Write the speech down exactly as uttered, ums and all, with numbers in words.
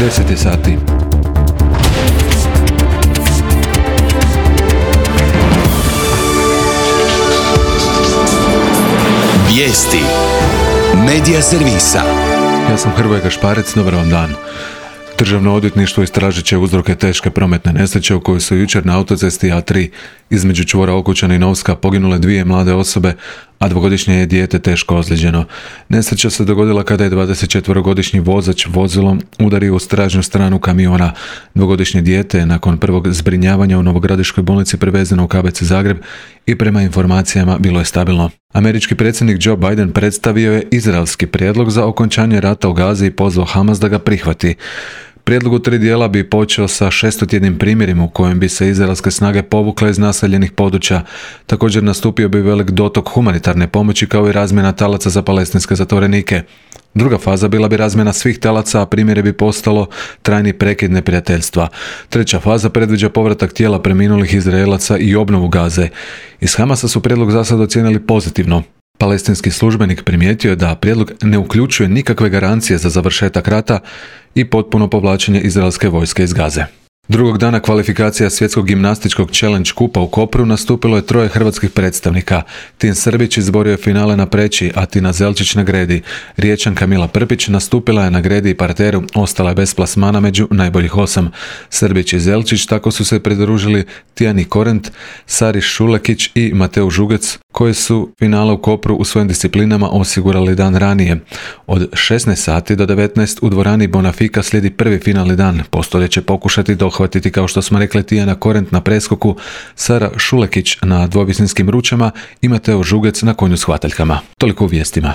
deset je sati. Vijesti Medija servisa. Ja sam Hrvoje Gašparec, dobar vam dan. Državno odvjetništvo istražit će uzroke teške prometne nesreće u kojoj su jučer na autocesti A tri između čvora Okučani i Novska poginule dvije mlade osobe, a dvogodišnje je dijete teško ozlijeđeno. Nesreća se dogodila kada je dvadesetčetvorogodišnji vozač vozilom udario u stražnju stranu kamiona. Dvogodišnje dijete je nakon prvog zbrinjavanja u Novogradiškoj bolnici prevezeno u K B C Zagreb i prema informacijama bilo je stabilno. Američki predsjednik Joe Biden predstavio je izraelski prijedlog za okončanje rata u Gazi i pozvao Hamas da ga prihvati. Prijedlog u tri dijela bi počeo sa šestotjednim primjerima u kojem bi se izraelske snage povukle iz naseljenih područja. Također nastupio bi velik dotok humanitarne pomoći kao i razmjena talaca za palestinske zatvorenike. Druga faza bila bi razmjena svih talaca, a primjere bi postalo trajni prekid neprijateljstva. Treća faza predviđa povratak tijela preminulih Izraelaca i obnovu Gaze. Iz Hamasa su prijedlog za sad ocijenili pozitivno. Palestinski službenik primijetio je da prijedlog ne uključuje nikakve garancije za završetak rata i potpuno povlačenje izraelske vojske iz Gaze. Drugog dana kvalifikacija svjetskog gimnastičkog challenge kupa u Kopru nastupilo je troje hrvatskih predstavnika. Tin Srbić izborio je finale na preći, a Tina Zelčić na gredi. Riječanka Mila Prpić nastupila je na gredi i parteru, ostala je bez plasmana među najboljih osam. Srbić i Zelčić tako su se pridružili Tijani Korent, Sari Šulekić i Mateu Žugec, koji su finale u Kopru u svojim disciplinama osigurali dan ranije. Od šesnaest sati do devetnaest u dvorani Bonafika slijedi prvi finalni dan. Postolje će pokušati dohvatiti, kao što smo rekli, Tijana Korent na preskoku, Sara Šulekić na dvovisinskim ručama i Mateo Žugec na konju s hvataljkama. Toliko u vijestima.